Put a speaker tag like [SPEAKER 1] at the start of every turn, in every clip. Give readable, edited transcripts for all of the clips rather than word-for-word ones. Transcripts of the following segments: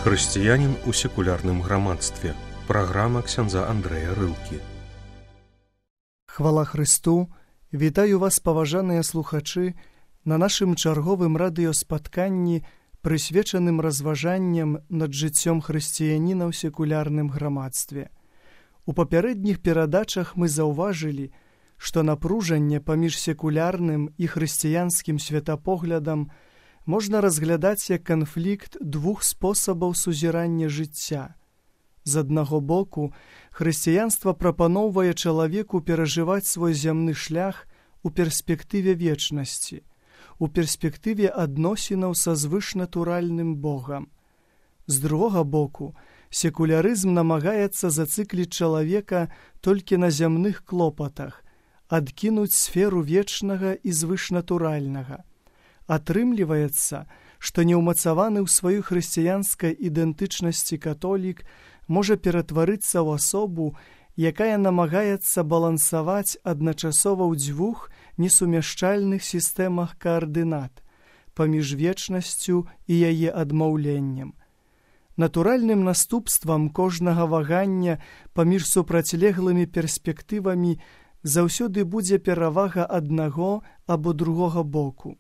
[SPEAKER 1] Хрысціянін у секулярным грамадстве. Праграма ксяндза Андрэя Рылкі.
[SPEAKER 2] Хвала Хрысту! Вітаю вас, паважаныя слухачы, на нашым чарговым радыёспатканні, прысвечаным разважанням над жыццём хрысціяніна ў секулярным грамадстве. У папярэдніх перадачах мы заўважылі, што напружанне паміж секулярным і хрысціянскім светапоглядам можна разглядаць як канфлікт двух спосабаў сузірання жыцця. З аднаго боку, хрысціянства прапаноўвае чалавеку перажываць свой зямны шлях у перспектыве вечнасці, у перспектыве адносінаў са звышнатуральным Богам. З другога боку, секулярызм намагаецца зацыкліць чалавека толькі на зямных клопатах, адкінуць сферу вечнага і звышнатуральнага. Атрымліваецца, што неўмацаваны ў сваёй хрысціянскай ідэнтычнасці католік можа ператварыцца ў асобу, якая намагаецца балансаваць адначасова ў дзвюх несумяшчальных сістэмах каардынат паміж вечнасцю і яе адмаўленнем. Натуральным наступствам кожнага вагання паміж супрацьлеглымі перспектывамі заўсёды будзе перавага аднаго або другога боку.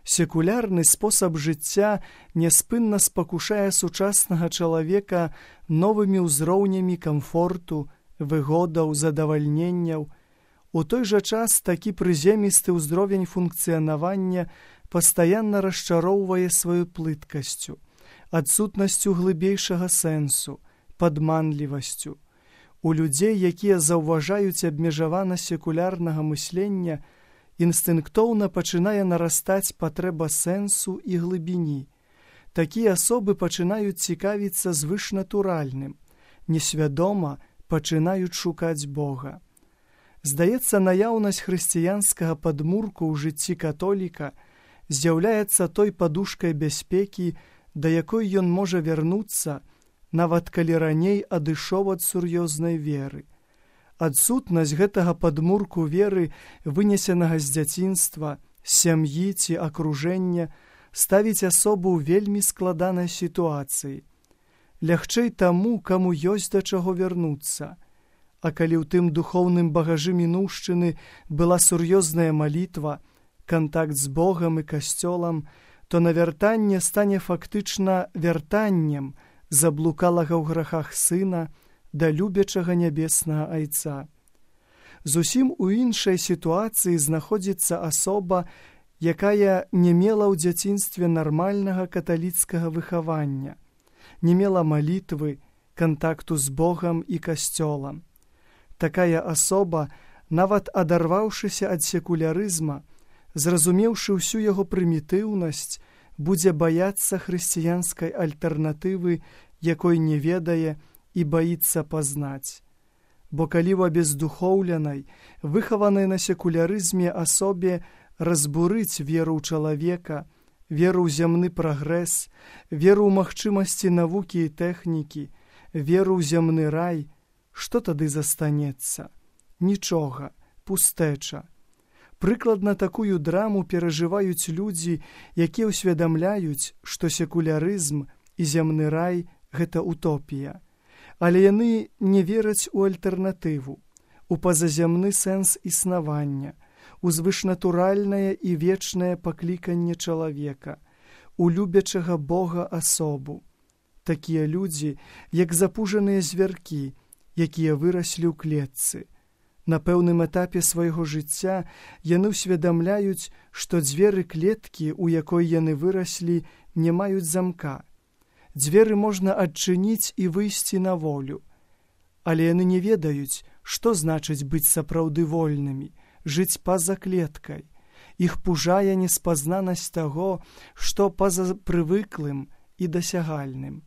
[SPEAKER 2] Секулярны спосаб жыцця няспынна спакушае сучаснага чалавека новымі ўзроўнямі камфорту, выгодаў, задавальненняў. У той жа час такі прыземісты ўзровень функцыянавання пастаянна расчароўвае сваёй плыткасцю, адсутнасцю глыбейшага сэнсу, падманлівасцю. У людзей, якія заўважаюць абмежаванасць секулярнага мыслення, інстынктоўна пачынае нарастаць патрэба сэнсу і глыбіні. Такія асобы пачынаюць цікавіцца звышнатуральным, несвядома пачынаюць шукаць Бога. Здаецца, наяўнасць хрысціянскага падмурку ў жыцці католіка з'яўляецца той падушкай бяспекі, да якой ён можа вярнуцца, нават калі раней адышоў ад сур'ёзнай веры. Адсутнасць гэтага падмурку веры, вынесенага з дзяцінства, сям'і ці акружэння, ставіць асобу ў вельмі складанай сітуацыі. Лягчэй таму, каму ёсць да чаго вярнуцца. А калі ў тым духоўным багажы мінуўшчыны была сур'ёзная малітва, кантакт з Богам і касцёлам, то навяртанне стане фактычна вяртаннем заблукалага ў грахах сына да любячага нябеснага айца. Зусім у іншай сітуацыі знаходзіцца асоба, якая не мела ў дзяцінстве нармальнага каталіцкага выхавання, не мела малітвы, кантакту з Богам і касцёлам. Такая асоба, нават адарваўшыся ад секулярызма, зразумеўшы ўсю яго прымітыўнасць, будзе баяцца хрысціянскай альтэрнатывы, якой не ведае і баіцца пазнаць. Бо калі ў абездухоўленай, выхаванай на секулярызме асобе разбурыць веру ў чалавека, веру ў зямны прагрэс, веру ў магчымасці навукі і тэхнікі, веру ў зямны рай, што тады застанецца? Нічога, пустэча. Прыкладна такую драму перажываюць людзі, якія ўсведамляюць, што секулярызм і зямны рай – гэта утопія. Але яны не вераць у альтэрнатыву, у пазаземны сэнс існавання, у звышнатуральнае і вечнае пакліканне чалавека, у любячага Бога асобу. Такія людзі, як запужаныя звяркі, якія выраслі ў клетцы. На пэўным этапе свайго жыцця яны ўсведамляюць, што дзверы клеткі, у якой яны выраслі, не маюць замка. Дзверы можна адчыніць і выйсці на волю. Але яны не ведаюць, што значыць быць сапраўды вольнымі, жыць па-за клеткай. Іх пужае неспазнанасць таго, што па-за прывыклым і дасягальным.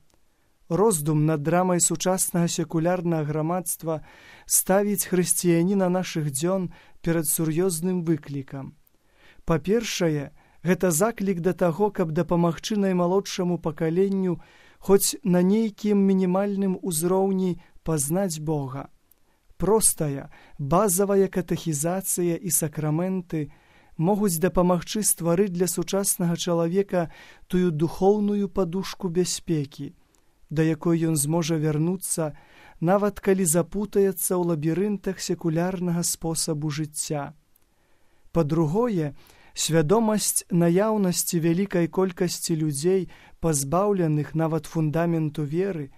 [SPEAKER 2] Роздум над драмай сучаснага секулярнага грамадства ставіць хрысціяніна нашых дзён перад сур'ёзным выклікам. Па-першае, гэта заклік да таго, каб дапамагчы наймалодшаму пакаленню хоць на нейкім мінімальным узроўні пазнаць Бога. Простая, базавая катэхізацыя і сакраменты могуць дапамагчы стварыць для сучаснага чалавека тую духоўную падушку бяспекі, да якой ён зможа вярнуцца, нават калі запутаецца ў лабірынтах секулярнага спосабу жыцця. Па-другое, свядомасць наяўнасці вялікай колькасці людзей, пазбаўленых нават фундаменту веры,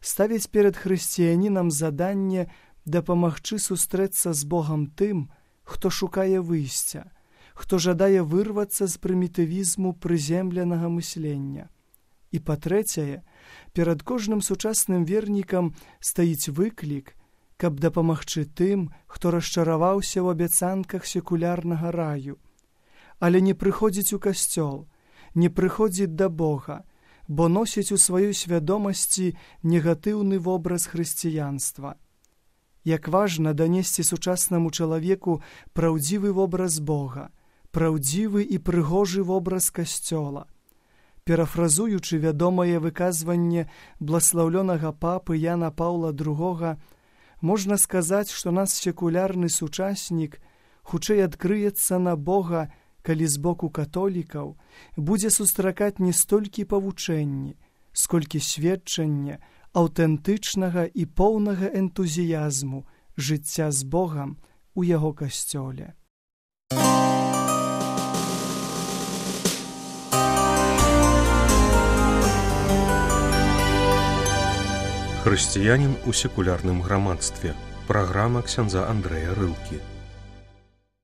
[SPEAKER 2] ставіць перад хрысціянінам заданне дапамагчы сустрэцца з Богам тым, хто шукае выйсця, хто жадае вырвацца з прымітывізму прыземленага мыслення. І па-трэцяе, перад кожным сучасным вернікам стаіць выклік, каб дапамагчы тым, хто расчараваўся ў абяцанках секулярнага раю, але не прыходзіць у касцёл, не прыходзіць да Бога, бо носіць у сваёй свядомасці негатыўны вобраз хрысціянства. Як важна данесці сучаснаму чалавеку праўдзівы вобраз Бога, праўдзівы і прыгожы вобраз касцёла. Перафразуючы вядомае выказванне бласлаўлёнага папы Яна Паўла II, можна сказаць, што наш секулярны сучаснік хутчэй адкрыецца на Бога, калі з боку католікаў будзе сустракаць не столькі павучэнні, сколькі сведчання аўтэнтычнага і поўнага энтузіязму жыцця з Богам у яго касцёле.
[SPEAKER 1] Хрысціянін у секулярным грамадстве. Праграма ксяндза Андрэя Рылкі.